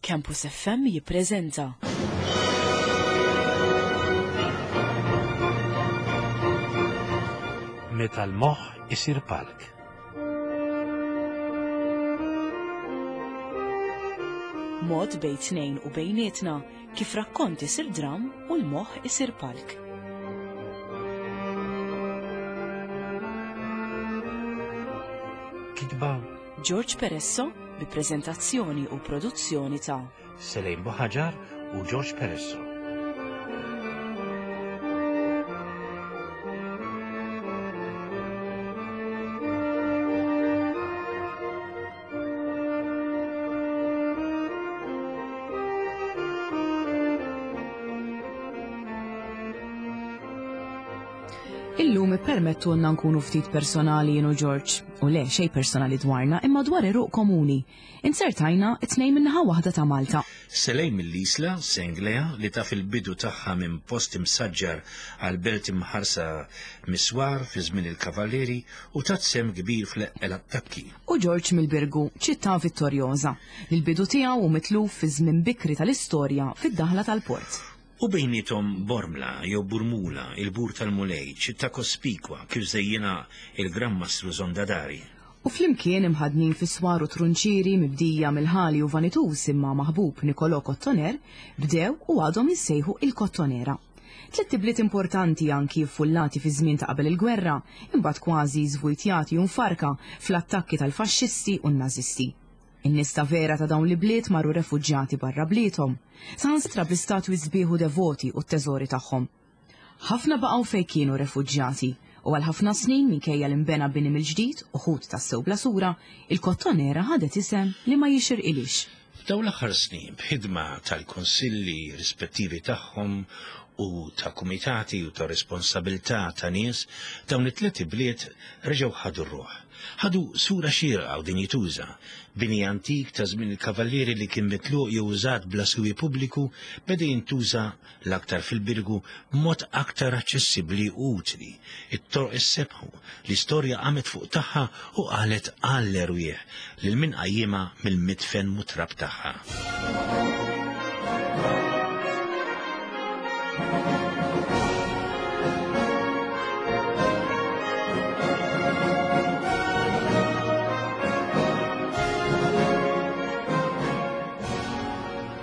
Campus FM jippreżenta. Meta l-moħħ isir palk. Mod bejn tnejn u bejnietna kif rakkont isir dram u l-moħħ isir palk. Kitba George Peresso bi preżentazzjoni u produzzjoni ta' Selejn Buħaġar u George Peresso. Illum ippermettulna nkunu ftit personali jien u George, u le xejn personali dwarna imma dwar għeruq komuni. Inzertajna it-tnejn min-naħa waħda ta' Malta. Selejn mill-Isla, Senglea, li taf il-bidu tagħha minn post imsaġġar għal belt imħarsa mis-swar fi żmien il-Kavallieri u tat sehem kbir fl-eqqel attakki. U George mill-Birgu, ċittà vittorjoża, li l-bidu tiegħu hu mitluf fi żmien bikri tal-istorja fid-daħla tal-port. U bejniethom Bormla jew Burmula, il-Bur tal-Mulej, ċittà kospikwa kif żejjinha il-Gran Mastru Zondadari. U flimkien imħaddnin fi swar u trunċieri mibdija mill-ħali u vanituż imma maħbub Nicolò Kottoner, bdew u għadhom jissejħu il-Kottonera. Tlett ibliet importanti anki ffullati fiż-żmien ta' qabel il-gwerra, imbagħad kważi żvujtjati u mfarrka fl-attakki tal-Faxxisti u n-Nażisti. In-nies ta' vera ta' dawn l-ibliet marru refuġjati barra bliethom, saħansitra bl-istatwi sbieħ u devoti u t-teżori tagħhom. Ħafna baqgħu fejn kienu refuġjati, u għal ħafna snin minkejja li nbena bini mill-ġdid, uħud tassew bla sura, il-Kottonera ħadet isem li ma jixirqilhiex. F'dawn l-aħħar snin, b'ħidma tal-kunsilli rispettivi tagħhom u ta' kumitati u ta' responsabilità ta' nies, dawn it-tliet ibliet reġgħu ħadu r-ruħ. Ħadu sura xierqa u dinjituża. Bini antik ta' żmien il-Kavallieri li kien mitluq jew użat bla siwi pubbliku beda jintuża l-aktar fil-Birgu b'mod aktar aċċessibbli u utli. It-toroq issebħu, l-istorja qamet fuq tagħha u qalet għall-erwieħ lil min qajjimha mill-midfen mutrab tagħha.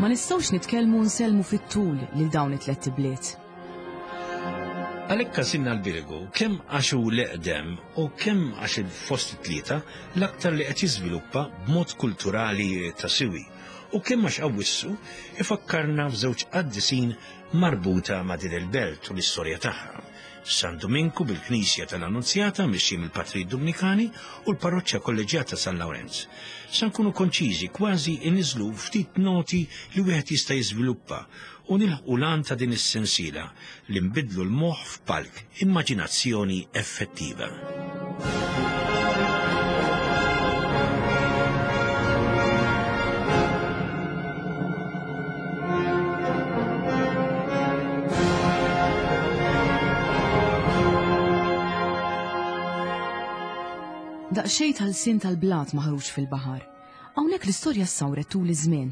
Ma nistgħux nitkellmu u nsellmu fit-tul lil dawn it-tlett ibliet. Għalhekk għażilna l-Birgu kemm għax hu l-eqdem u kemm għax fost it-tlieta l-aktar li qed jiżviluppa b'mod kulturali ta' siwi u kemm għax Awwissu ifakkarna f'żewġ qaddisin marbuta ma' din il-belt u l-istorja tagħha, San Duminku bil-Knisja tal-Annunzjata mixji mill-Patrijiet Dumnikani u l-Parroċċa Kolleġġjata San Lawrenz. Sa nkunu konċiżi, kważi inniżlu ftit noti li wieħed jista' jiżviluppa u nilħqu l-għan ta' din is-sensiela li nbiddlu l-moħħ f'palk, immaġinazzjoni effettiva. Daqsxejn tal-sin tal-blat maħruġ fil-baħar. Hawnhekk l-istorja ssawret tul iż-żmien.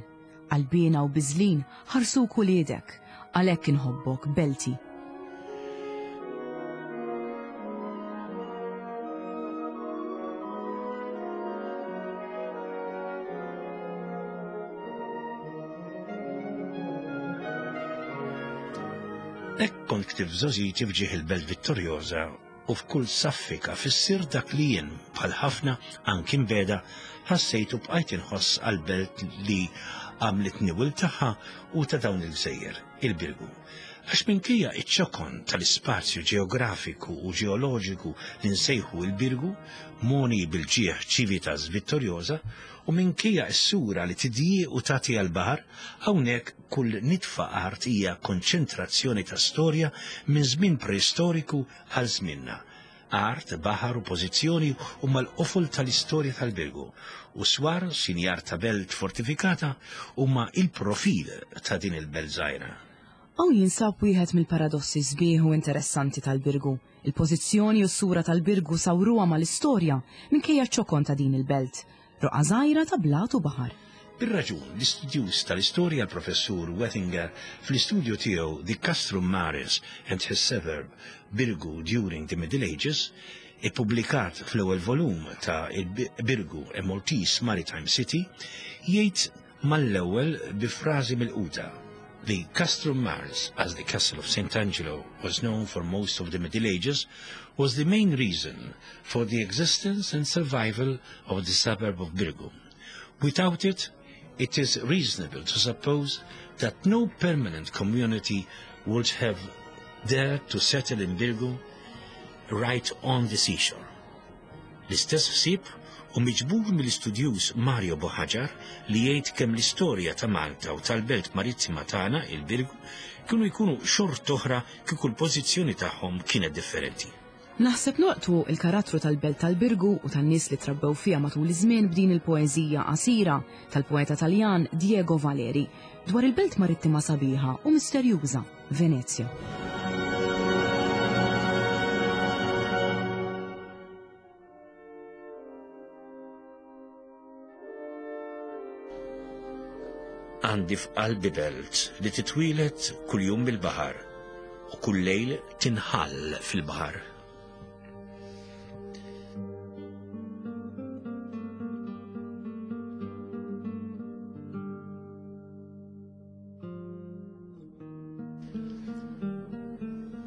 Qalbiena u biżlin ħarsuk uliedek, għalhekk inħobbok, belti. Hekk kont ktibt f'żgħożiti f'ġieħ il-Belt Vittoriosa u f'kull saffika fissir dak li jien, bħal ħafna, anki mbegħda, ħassejt u bqajt inħoss għall-belt li għamlitni wild tagħha u ta' dawn il-gżejjer, il-Birgu. Għax minkejja ċ-ċokon tal-ispazju ġeografiku u ġeoloġiku li nsejħu il-Birgu, mogħni bil-ġieħ Civitas Vittoriosa, u minkejja s-sura li tidjieq u tagħti għall-baħar, hawnhekk kull nitfa art hija konċentrazzjoni ta' storja minn żmien preistoriku għal żmienna. Art, baħar u pożizzjoni huma l-qofol tal-istorja tal-Birgu, u swar, sinjar ta' belt fortifikata, huma il-profil ta' din il-belt żgħira. Hawn jinsab wieħed mill-paradossi sbieħ u interessanti tal-Birgu. Il-pożizzjoni u s-sura tal-Birgu sawruha mal-istorja minkejja ċ-ċokon ta' din il-belt, roqgħa żgħira ta' blat u baħar. Bir-raġun, l-istudjuż tal-istorja l-Professur Wettinger fl-istudju tiegħu The Castrum Maris and His Suburb Birgu During the Middle Ages, ippubblikat fl-ewwel volum ta' Il-Birgu a Maltese Maritime City, jgħid mal-ewwel bi frażi milquta, The Castrum Maris, as the Castle of St. Angelo was known for most of the Middle Ages, was the main reason for the existence and survival of the suburb of Birgu. Without it, it is reasonable to suppose that no permanent community would have dared to settle in Birgu right on the seashore. L-istess ħsieb hu miġbur mill-istudjuż Mario Buhagiar li jgħid kemm l-istorja ta' Malta u tal-belt marittima tagħna, il-Birgu, kienu jkunu xort'oħra kieku l-pożizzjoni tagħhom kienet differenti. Naħseb nolqtu l-karattru tal-belt tal-Birgu u tan-nies li trabbew fiha matul iż-żmien b'din il-poeżija qasira tal-poeta Taljan Diego Valeri dwar il-belt marittima sabiħa u misterjuża, Venezja. Għandi f'qalbi belt li titwieled kuljum mill-baħar u kull lejl tinħall fil-baħar.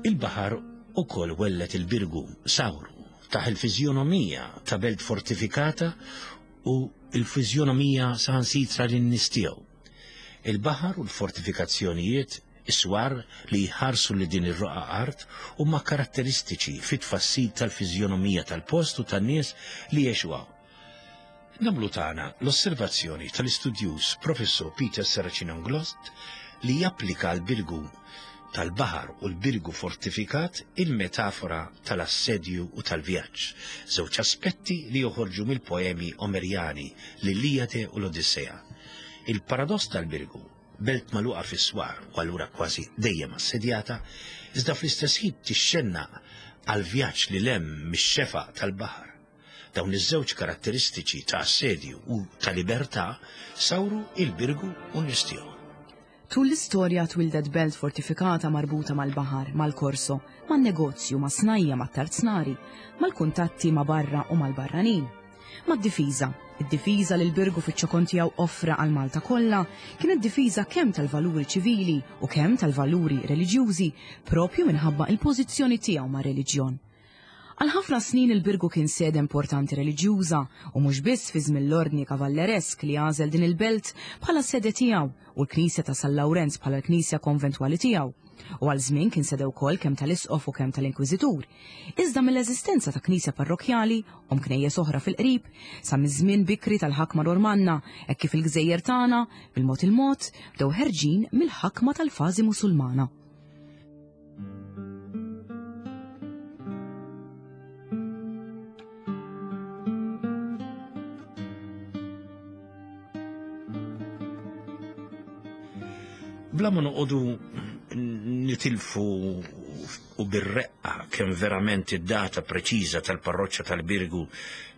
Il-baħar ukoll welled il-Birgu, sawru, taħ il-fiżjonomija ta' belt fortifikata u l-fiżjonomija saħansitra lin-nies tiegħu. Il-baħar u l-fortifikazzjonijiet, is-swar li jħarsu lil din ir-roqgħa art huma karatteristiċi fit-tfassil tal-fiżjonomija tal-post u tan-nies li jgħixu hawn. Nagħmlu tagħna l-osservazzjoni tal-istudjuż Professur Peter Serracino-Inglott li japplika għall-Birgu tal-baħar u l-Birgu fortifikat il-metafora tal-assedju u tal-vjaġġ, żewġ aspetti li joħorġu mill-poemi Omerjani, l-Illijade u l-Odissea. Il-paradoss tal-Birgu, belt magħluqa fis-swar u allura kważi dejjem assedjata, iżda fl-istess ħin tixxennaq għal vjaġġ lil hemm mix-xefaq tal-baħar. Dawn iż-żewġ karatteristiċi ta' assedju u ta' libertà sawru il-Birgu u n-nies tiegħu. Tul l-istorja twildet belt fortifikata marbuta mal-baħar, mal-korso, man-negozju, mas-snajja', mat-tarznari, mal-kuntatti ma' barra u mal-barranin. Mad-difiża. Id-difiża li l-Birgu fiċ-ċokon tiegħu offra għal Malta kollha kienet difiża kemm tal-valuri ċivili u kemm tal-valuri reliġjużi propju minħabba il-pożizzjoni tiegħu mar-reliġjon. Għal ħafna snin il-Birgu kien sede importanti reliġjuża u mhux biss fi żmien l-Ordni Kavalleresk li għażel din il-belt bħala sede tiegħu u l-knisja ta' San Lawrenz bħala l-knisja konventwali tiegħu. U għal żmien kien sede wkoll kemm tal-Isqof u kemm tal-Inkwiżitur. Iżda mill-eżistenza ta' knisja parrokkjali, u knejjes oħra fil-qrib, sa miż-żmien bikri tal-ħakma Normanna, hekk kif il-gżejjer tagħna, bil-mod il-mod, bdew ħerġin mill-ħakma tal-fażi Musulmana. Bla ma noqogħdu nitilfu u bir-reqqa kemm verament id-data preċiża tal-parroċċa tal-Birgu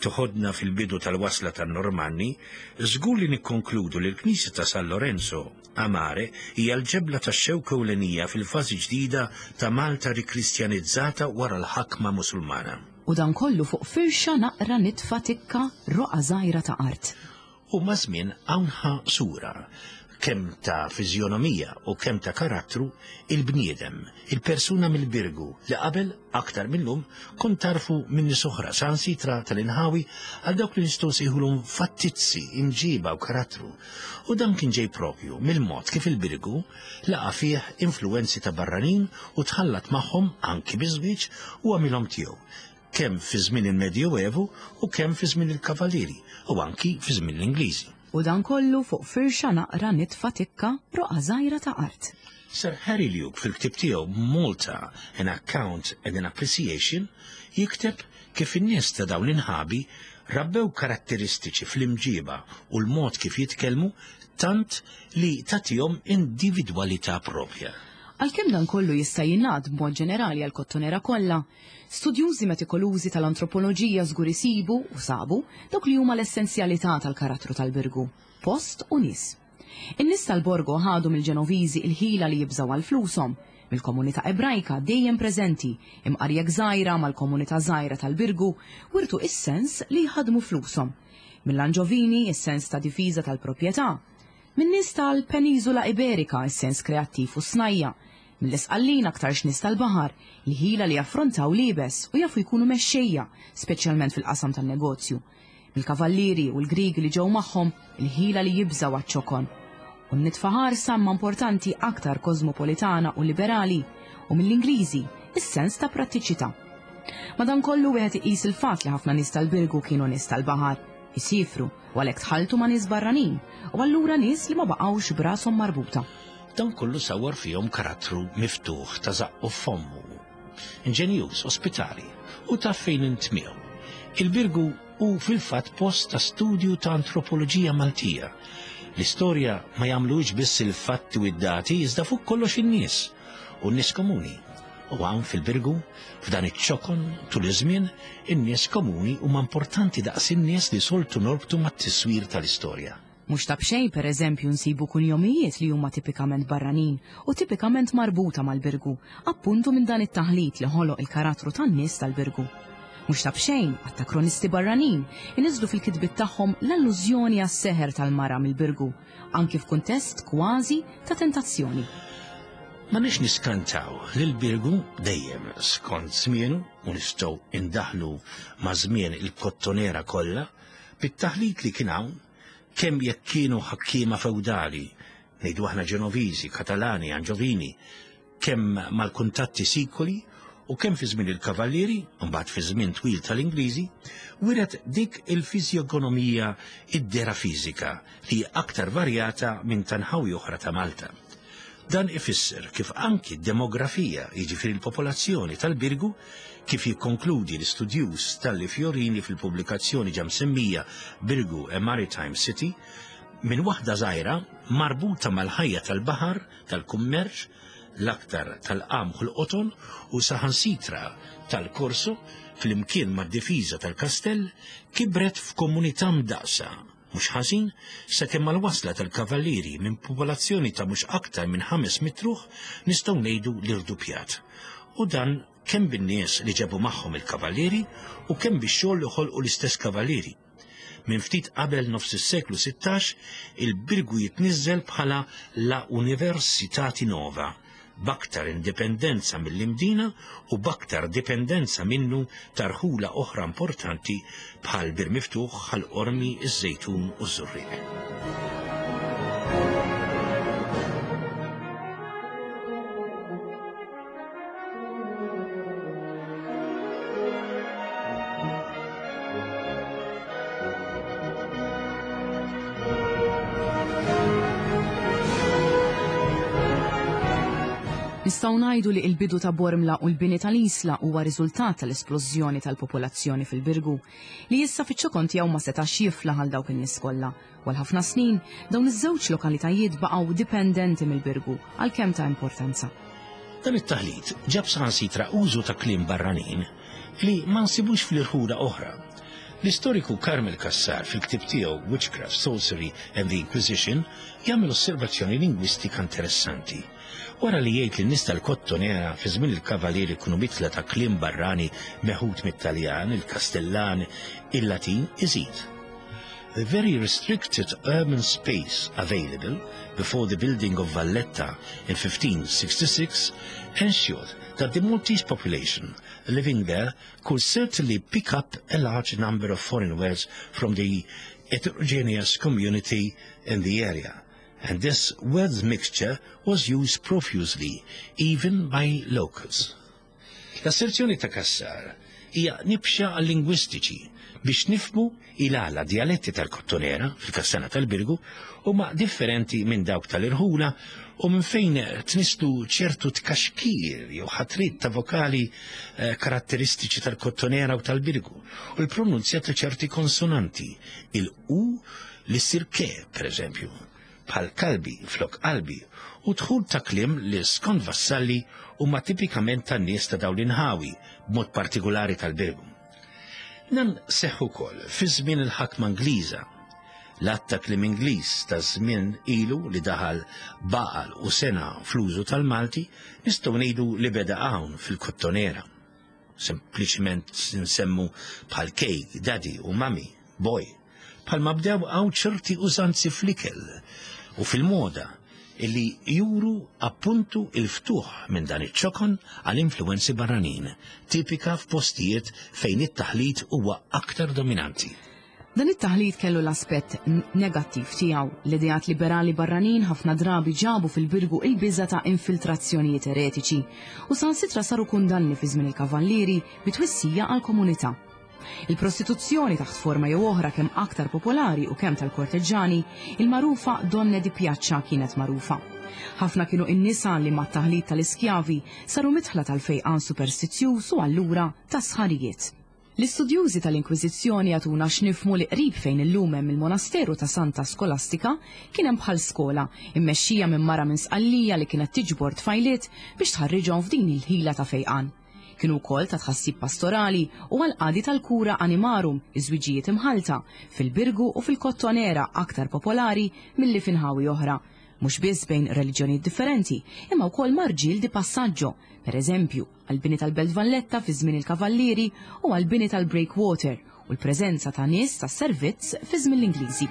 toħodna fil-bidu tal-wasla tan-Normanni, żgur li nikkonkludu li l-Knisja ta' San Lorenzo a Mare hija l-ġebla tax-xewk ewlenija fil-fażi ġdida ta' Malta rikristjanizzata wara l-ħakma Musulmana. U dan kollu fuq firxa naqra nitfa tikka roqgħa żgħira ta' art. U maż-żmien hawn ħa sura, kemm ta' fiżjonomija u kemm ta' karattru, il-bniedem, il-persuna mill-Birgu li qabel, aktar mil-lum, kont tagħrfu minn nies oħra, saħansitra tal-inħawi, għal dawk li nistgħu nsejħulhom fattizzi, imġiba u karattru. U dan kien ġej proprju mill-mod kif il-Birgu laqa' fih influwenzi ta' barranin u tħallat magħhom anki biż-żwieġ u għamilhom tiegħu, kemm fi żmien il-Medjuevu u kemm fi żmien il-Kavalieri u anki fi żmien l-Ingliżi. U dan kollu fuq firxa naqra nitfa tikka roqgħa żgħira ta' art. Sir Harry Luke fil-ktieb tiegħu Malta, An Account and an Appreciation jikteb kif in-nies ta' dawn l-inħabi rabbew karatteristiċi fl-imġiba u l-mod kif jitkellmu tant li tagħtihom individwalità proprja. Għalkemm dan kollu jista' jingħad b'mod ġenerali għall-Kottonera kollha, studjużi metikolużi tal-antropoloġija żgur isibu, u sabu, dawk li huma l-essenzjalità tal-karattru tal-Birgu. post u nies. In-nies tal-Borgo ħadu mill-Ġenoviżi il-ħila li jibżgħu għal flushom, mill-komunità Ebrajka dejjem preżenti, imqar jekk żgħira mal-komunità żgħira tal-Birgu, wirtu is-sens li jħaddmu flushom. Mill-Anġovini is-sens ta' difiża tal-proprjetà. Min-nies tal-Peniżula Iberika is-sens kreattiv u s-snajja'. Mill-Isqallin aktarx nies tal-baħar, il-ħila li jaffrontaw l-iebes u jafu jkunu mexxejja, speċjalment fil-qasam tan-negozju. Mill-Kavallieri u l-Griegi li ġew magħhom, il-ħila li jibżgħu għaċ-ċokon. U n-nitfa ħarsa imma importanti aktar kożmopolitana u liberali, u mill-Ingliżi, is-sens ta' prattiċità. Madankollu wieħed iqis il-fatt li ħafna nies tal-Birgu kienu nies tal-baħar, isiefru u għalhekk tħalltu ma' nies barranin u allura nies li ma baqgħux b'rashom marbuta. Dan kollu sawwar fihom karattru miftuħ ta' żaqqu f'fommu, inġenjuż, ospitali u taf fejn int miegħu. Il-Birgu hu fil-fatt post ta' studju ta' antropoloġija Maltija. L-istorja ma jagħmluhiex biss il-fatti u d-dati iżda fuq kollox in-nies u n-nies komuni. U hawn fil-Birgu, f'dan iċ-ċokon tul iż-żmien, in-nies komuni huma importanti daqs in-nies li soltu norbtu mat-tiswir tal-istorja. Mhux ta' b'xejn, per eżempju, nsibu kunjomijiet li huma tipikament barranin u tipikament marbuta mal-Birgu, appuntu minn dan it-taħlit li ħoloq il-karattru tan-nies tal-Birgu. Mhux ta' b'xejn, għadd ta' kronisti barranin iniżżlu fil-kitbiet tagħhom l-allużjoni għas-seħer tal-mara mill-Birgu, anki f'kuntest kważi ta' tentazzjoni. M'għandniex niskantaw li l-Birgu dejjem skont żmienu, u nistgħu indaħħlu ma' żmien il-Kottonera kollha, bit-taħlit li kien hawn, kemm jekk kienu ħakkiema fewdali, ngħidu aħna Ġenoviżi, Katalani, Anġovini, kemm mal-kuntatti sikoli u kemm fi żmien il-Kavallieri, u mbagħad fi żmien twil tal-Ingliżi, wiret dik il-fiżjogonomija id-dehra fiżika li hi aktar varjata minn ta' nħawi oħra ta' Malta. Dan ifisser kif anki d-demografija, jiġifieri l-popolazzjoni tal-Birgu, kif jikkonkludi l-istudjuż Stanley Fiorini fil-pubblikazzjoni ġa msemmija Birgu a Maritime City, minn waħda żgħira marbuta mal-ħajja tal-baħar, tal-kummerċ, l-aktar tal-qamħ u l-qoton u saħansitra tal-korso, flimkien mad-difiża tal-kastell, kibret f'komunità mdaqqsa mhux ħażin, sakemm mal-wasla tal-Kavallieri minn popolazzjoni ta' mhux aktar minn 500 ruħ nistgħu ngħidu li rduppjat. U dan kemm bin-nies li ġabu magħhom il-Kavallieri u kemm bix-xogħol li ħolqu l-istess Kavallieri. Minn ftit qabel nofs is-seklu 16, il-Birgu jitniżżel bħala la Universitati Nova, b'aktar indipendenza mill-Imdina u b'aktar dipendenza minnu ta' rħula oħra importanti bħal Bir Miftuħ, Ħal Qormi, iż-Żejtun u ż-Żurrieq. Nistgħu ngħidu li l-bidu ta' Bormla u l-bini tal-Isla huwa riżultat tal-esplożjoni tal-popolazzjoni fil-Birgu, li issa fiċ-ċokon tiegħu ma setax jiflaħ għal dawk in-nies kollha. U għal ħafna snin, dawn iż-żewġ lokalitajiet baqgħu dipendenti mill-Birgu, għalkemm ta' importanza. Dan it-taħlit ġab saħansitra użu ta' kliem barranin li ma nsibux fl-irħula oħra. L-istoriku Carmel Cassar fil-ktieb tiegħu Witchcraft, Sorcery and the Inquisition jagħmel osservazzjoni lingwistika interessanti. Wara li jgħid li n-nies tal-Kottonera fi żmien il-Kavalieri kienu mitla ta' kliem barrani meħud mit-Taljan, il-Kastellan, il-Latin, iżid. The very restricted urban space available before the building of Valletta in 1566 ensured that the Maltese population living there could certainly pick up a large number of foreign words from the heterogeneous community in the area, and this words mixture was used profusely, even by locals. L-asserzjoni ta' Cassar hija nibxa għal-lingwistiċi biex nifhmu il-għala djaletti tal-Kottonera, fil-Kastana tal-Birgu, huma differenti minn dawk tal-irħula u minn fejn tnisslu ċertu tkaxkir jew ħatriet ta' vokali eh, karatteristiċi tal-Kottonera u tal-Birgu u l-pronunzja ta' ċerti konsonanti, il-u li ssir ke, per eżempju, bħal kalbi flok qalbi, u dħul ta' kliem li skont Vassalli huma tipikament tan-nies ta' dawn l-inħawi, b'mod partikulari tal-Birgu. Dan seħħ ukoll fi żmien il-ħakma Ingliża. L-att ta' kliem Ingliż ta' żmien ilu li daħal baqal u sena fl-użu tal-Malti nistgħu ngħidu li beda hawn fil-Kottonera. Sempliċement nsemmu bħal cake, daddy u mummy, boy. Bħalma bdew hawn ċerti użanzi fl-ikel u fil-moda illi juru appuntu il-ftuħ minn dan iċ-ċokon għal influwenzi barranin, tipika f'postijiet fejn it-taħlit huwa aktar dominanti. Dan it-taħlit kellu l-aspett negattiv tiegħu. L-ideat liberali barranin ħafna drabi ġabu fil-Birgu il-biża' ta' infiltrazzjonijiet eretiċi u saħansitra saru kundanni fi żmien il-Kavallieri bi twissija għall-komunità. Il-prostituzzjoni taħt forma jew oħra kemm aktar popolari u kemm tal-korteġġani, il-magħrufa donne di piaccia kienet magħrufa. Ħafna kienu in-nisa li mat-taħlit tal-iskjavi saru midħla tal-fejqan superstizzjuż u allura tas-sħarijiet. L-istudjużi tal-Inkwiżizzjoni jagħtuna x'nifhmu li qrib fejn illum hemm il-monasteru ta' Santa Skolastika kien hemm bħal skola, immexxija minn mara minn Sqallija li kienet tiġbor tfajliet biex tħarriġhom f'din il-ħila ta' fejqan. Kienu wkoll ta' tħassib pastorali u għall-qadi tal-cura animarum, iż-żwiġijiet imħallta, fil-Birgu u fil-Kottonera aktar popolari milli fi nħawi oħra, mhux biss bejn reliġjonijiet differenti, imma wkoll ma' rġiel di passaggio, per eżempju, għall-bini tal-Belt Valletta fi żmien il-Kavallieri u għall-bini tal-Breakwater u l-preżenza ta' nies tas-servizz fi żmien l-Ingliżi.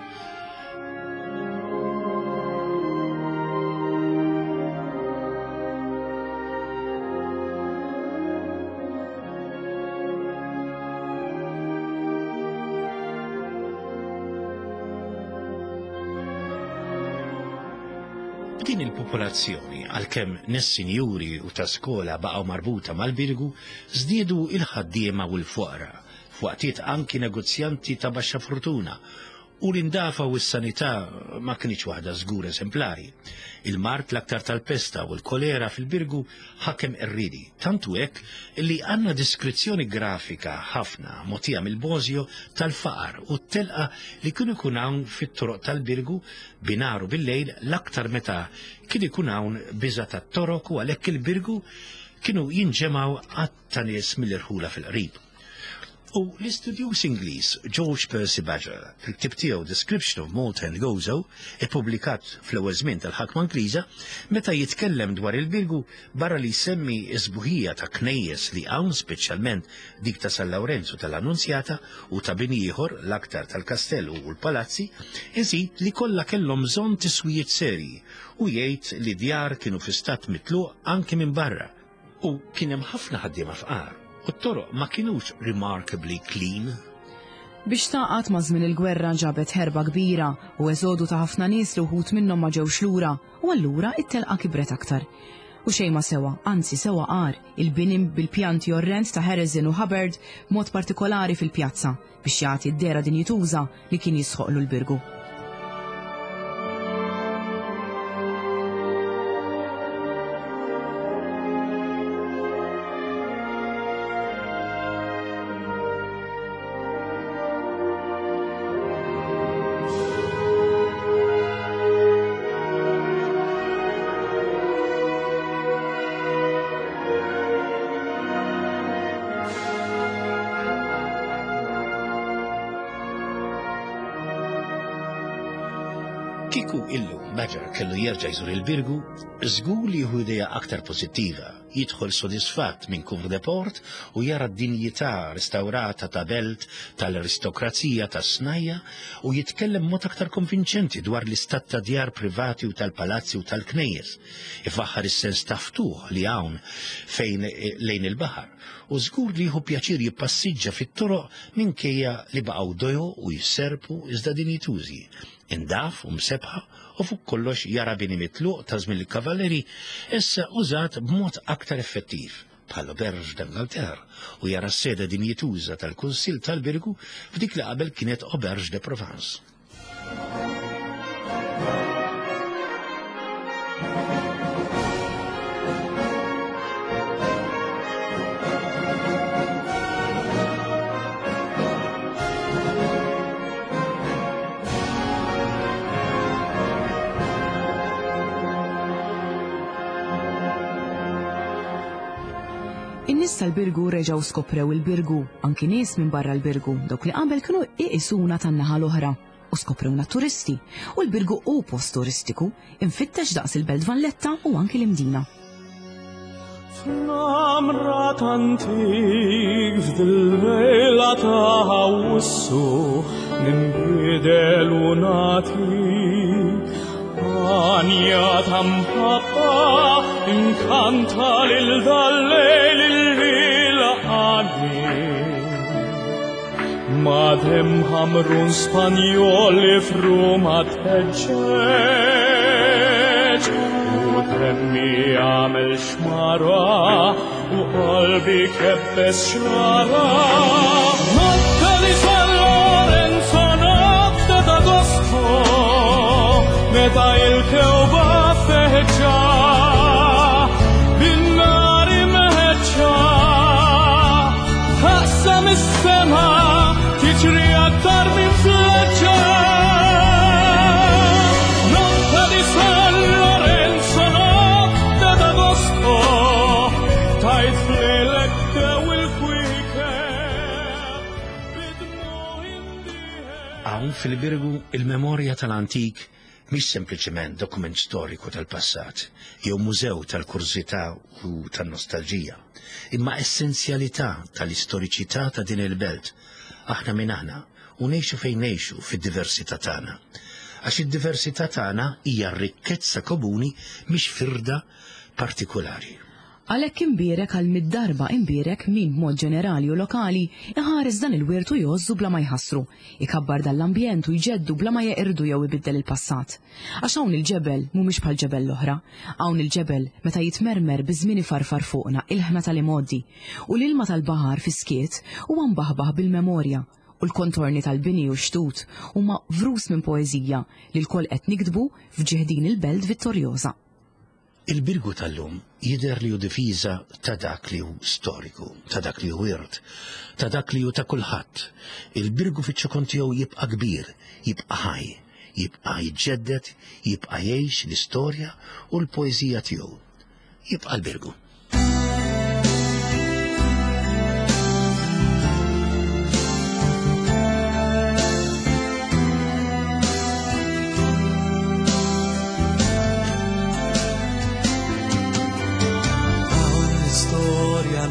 B'din il-popolazzjoni, għalkemm nies sinjuri u ta' skola baqgħu marbuta mal-Birgu, żdiedu il-ħaddiema u l-foqra, f'waqtiet anki negozjanti ta' baxxa fortuna, u l-indafa u s-sanità ma kinitx waħda żgur eżemplari. Il-mard l-aktar tal-pesta u l-kolera fil-Birgu ħakem qerriedi, tant hu hekk li għandna diskrizzjoni grafika ħafna mogħtija mill-Bosio tal-faqar u t-telqa li kienu jkun hawn fit-toroq tal-Birgu binhar u bil-lejl l-aktar meta kien ikun hawn biża' tat-Torok u għalhekk il-Birgu kienu jinġemgħu għadd ta' nies mill-irħula fil-qrib. U l-istudjuż Ingliż George Percy Badger, fil-ktieb tiegħu Description of Malta and Gozo, ippubblikat fl-ewwel żmien tal-ħakma Ingliża, meta jitkellem dwar il-Birgu, barra li jsemmi s-sbuħija ta' knejjes li hawn speċjalment dik ta' San Lawrenz u tal-Annunzjata u ta' bini ieħor, l-aktar tal-kastell u l-palazzi, iżid li kollha kellhom bżonn tiswijiet serji u jgħid li djar kienu fi stat mitluq anki minn barra u kien hemm ħafna ħaddiema fqar u t-toroq ma kinux remarkably clean. Biex tagħqad ma' żmien il-gwerra ġabet ħerba kbira u eżodu ta' ħafna nies li wħud minnhom ma ġewx lura u allura it-telqa kibret aktar. U xejn ma sewa, anzi sewa agħar, il-bini bil-pjanti orrend ta' Harrison u Hubbard b'mod partikolari fil-pjazza biex jagħti d-dehra dinjituża li kien jisħoqlu l-Birgu. Kieku illum Badger kellu jerġa' jżur il-Birgu, żgur li jieħu idea aktar pożittiva, jidħol sodisfatt minn Cour de Port u jara d-dinjità restawrata ta' belt tal-aristokrazija tas-snajja' u jitkellem b'mod aktar konvinċenti dwar l-istat ta' djar privati u tal-palazzi u tal-knejjes. Ifaħħar is-sens ta' ftuħ li hawn fejn lejn il-baħar u żgur li jieħu pjaċir jippassiġġa fit-toroq minkejja li baqgħu dojoq u jisserrpu iżda dinjitużi, indaf u msebbħa u fuq kollox jara bini mitluq ta' żmien il-Kavallieri issa użat b'mod aktar effettiv bħal Auberge d'Angleterre u jara s-sede dinjituża tal-Kunsill tal-Birgu f'dik li qabel kienet Auberge de Provence. In-nies tal-Birgu reġgħu skoprew il-Birgu, anki nies minn barra l-Birgu, dawk li qabel kienu iqisuna tan-naħa l-oħra. u skoprewna t-turisti, u l-Birgu hu post turistiku, imfittex daqs il-Belt Valletta u anki l-Imdina. F'namra t'antik f'dil-lejla ta' Awwissu ninbidel u nagħtik għanja ta' mħabba inkanta lil dal-lejl il-lil għani. Madem ħamrun Spanjol li f'Ruma tħeġġeġ u demmi għamel xmara u qalbi kebbes xrara. Notte di San Lorenzo, notte d'Agosto, meta il-kewba feġġa, bin-nar imħeġġa, taqsam is-sema, tiġri aktar minn fleċċa. Notte di San Lorenzo, notte d'Agosto, tajt flilek dew il-kwiekeb, bidmu indieħeb. Hawn fil-Birgu il-memorja tal-antik mhix sempliċement dokument storiku tal-passat jew mużew tal-kurżità u tan-nostalġija, imma essenzjalità tal-istoriċità ta' din il-belt. Aħna min aħna u ngħixu fejn ngħixu fid-diversità tagħna. Għax id-diversità tagħna hija r-rikkezza komuni mhix firda partikulari. Għalhekk imbierek għal mitt darba imbierek min b'mod ġenerali u lokali iħares dan il-wirt u jgħożżu bla ma jħassru, ikabbar dan l-ambjent u jġeddu bla ma jeqirdu jew ibiddel il-passat. Għax hawn il-ġebel mhumiex bħal ġebel l-oħra. Hawn il-ġebel meta jitmermer biż-żmien ifarfar fuqna ilħna tal-imgħoddi. U l-ilma tal-baħar fis-skiet huwa mbaħbaħ bil-memorja u l-kontorni tal-bini u x-xtut huma vrus minn poeżija li lkoll qed niktbu f'ġieħ din il-belt vittorjoża. Il-Birgu tal-lum jidher li hu difiża ta' dak li hu storiku, ta' dak li hu wirt, ta' dak li hu ta' kulħadd. Il-Birgu fiċ-ċokon tiegħu jibqa' kbir, jibqa' ħaj, jibqa' jiġġedded, jibqa' jgħix l-istorja u l-poeżija tiegħu. Jibqa' l-Birgu.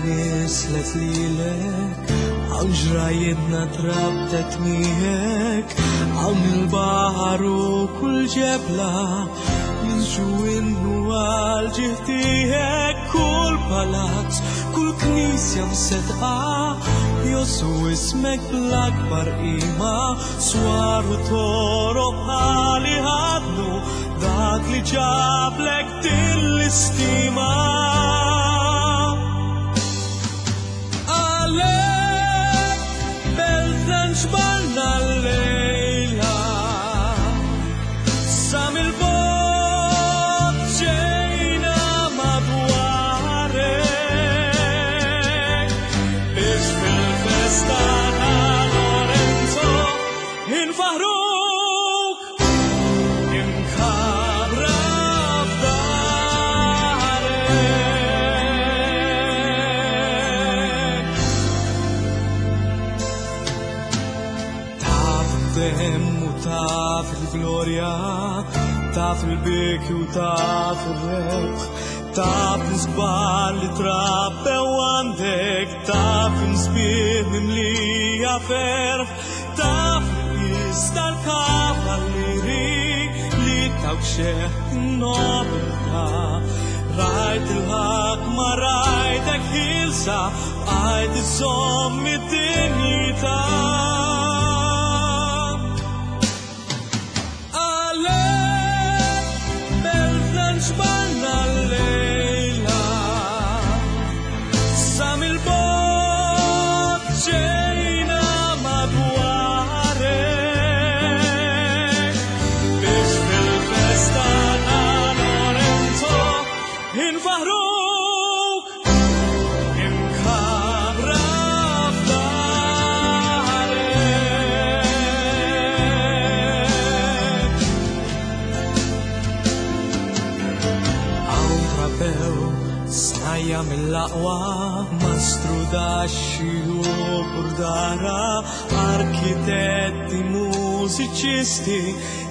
Nislet lilek, hawn ġrajjitna trabtet miegħek, hawn il-baħar u kull ġebla jinżu innu għal ġieħ tiegħek, kull palazz, kull knisja msedqa, josu ismek bl-akbar qima, swar u toroq għali ħadnu dak li ġablek din l-istima. Għalek beltna nġbarna l-lejla, sa mill-bogħod ġejna madwarek, biex fil-festa ta' Lorenzo infaħruk imkabra f'darek. Taf id-demm u taf il-glorja, taf il-biki u taf il-rebħ, taf l-isbar li trabbew għandek, taf imsbieħ mimlija ferħ, taf l-qis tal-kavallieri li tawk xeħ in-nobiltà. Rajt il-ħakma, rajtek ħilsa, bqajt iżomm id-dinjità. Għalek beltna nġbarna l-lejla, sa mill-bogħod ġejna madwarek, biex fil-festa ta' Lorenzo infaħruk imkabra f'darek. Hawn trabbew snajja mill-aqwa, mastru daxxi u burdara, arkitetti mhux mużiċisti,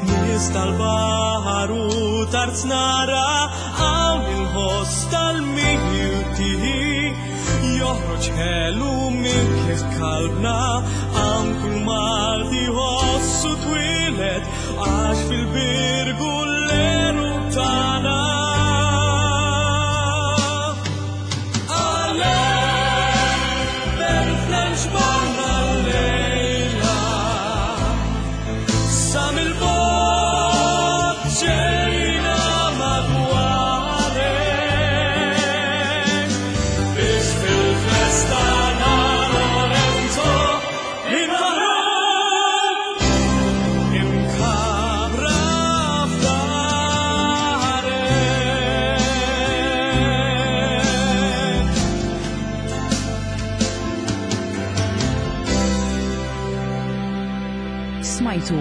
nies tal-baħar u tarznara, hawn il-ħoss tal-milti joħroġ ħelu minn kif kalbna, hawn kull Malti ħossu twieled għax fil-Birgu l-għeruq tagħna. Smajtu.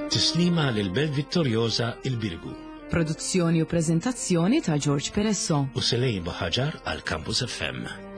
Tislima lil Belt Vittoriosa il-Birgu. Produzzjoni u preżentazzjoni ta' George Peresso. U Selej Buħaġar għal Campus FM.